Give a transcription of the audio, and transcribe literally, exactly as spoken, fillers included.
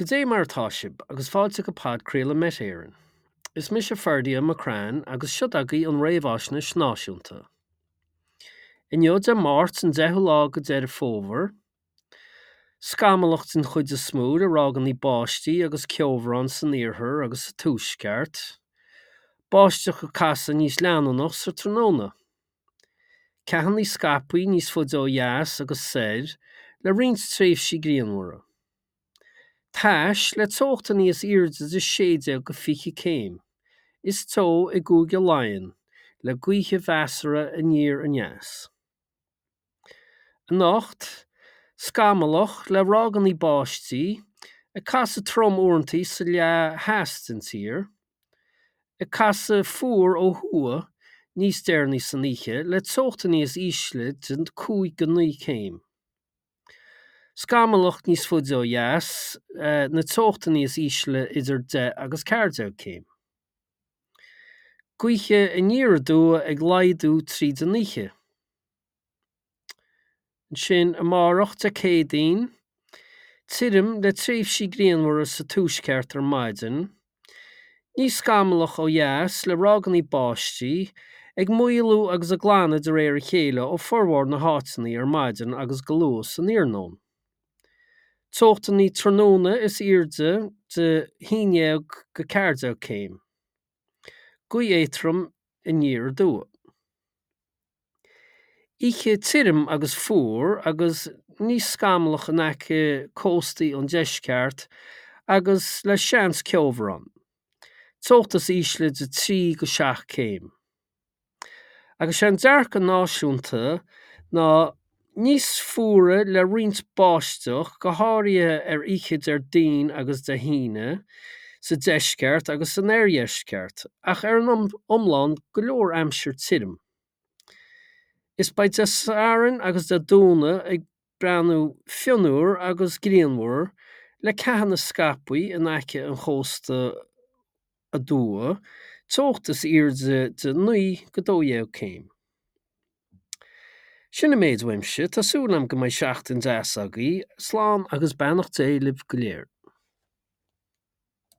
Goidé mar atá sibh agus fáilte go podchraoladh Met Éireann. Is mise Ferdia McCrann agus seo agaibh an réamhaisnéis náisiúnta. Inniu Dé Máirt an deichiú lá de Dheireadh Fómhair, scamallach den chuid is mó le ráigeanna báistí agus ceobhrán san iarthar agus sa tuaisceart, báisteach ag casadh níos leanúnach sa tráthnóna. Ceathanna scaipthe níos faide ó dheas agus soir le roinnt tréimhsí grianmhara. Tais le teochta níos airde de sé déag go fiche céim. Is teo i gCúige Laighean, le gaoithe mheasartha aniar aneas. Anocht, scamallach le ráigeanna báistí, ag casadh trom uaireanta sa leath theas den tír, ag casadh fuar ó thuaidh níos deireanaí san oíche le teochta níos ísle de cúig go naoi céim. Scamallach níos faide ó dheas, na teochta níos ísle idir deich agus ceathair déag céim. Gaoithe aniar aduaidh ag laghdú tríd an oíche. Ansin amárach Dé Céadaoin, tirim le tréimhsí grianmhara sa tuaisceart ar maidin, níos scamallach ó dheas le ráigeanna báistí, ag maolú agus ag glanadh de réir a chéile ó formhór na háiteanna ar maidin agus go luath san iarnóin. Teochtanna tráthnóna is airde de haon déag go ceathair déag céim. Gaoth éadrom aniar aduaidh. Oíche tirim agus fuar agus níos scamallach in aice cóstaí an deisceart agus le seans ceobhrán. Teocht is ísle de trí go seacht céim. Agus sé an dearcadh náisiúnta ná níos fuaire le roinnt báisteach, go háirithe ar oíche Déardaoin agus Dé hAoine, sa deisceart agus san oirdheisceart, ach ar an iomlán go leor aimsir tirim. Is beidh Dé Sathairn agus Dé Domhnaigh ag breathnú fionnuar agus grianmhar le ceathanna scaipthe in aice an chósta aduaidh, teocht is airde de naoi go dó dhéag céim. Sin an méid uaimse, tá súil agam go mbeidh seachtain deas agaibh, slán agus beannacht Dé libh go léir.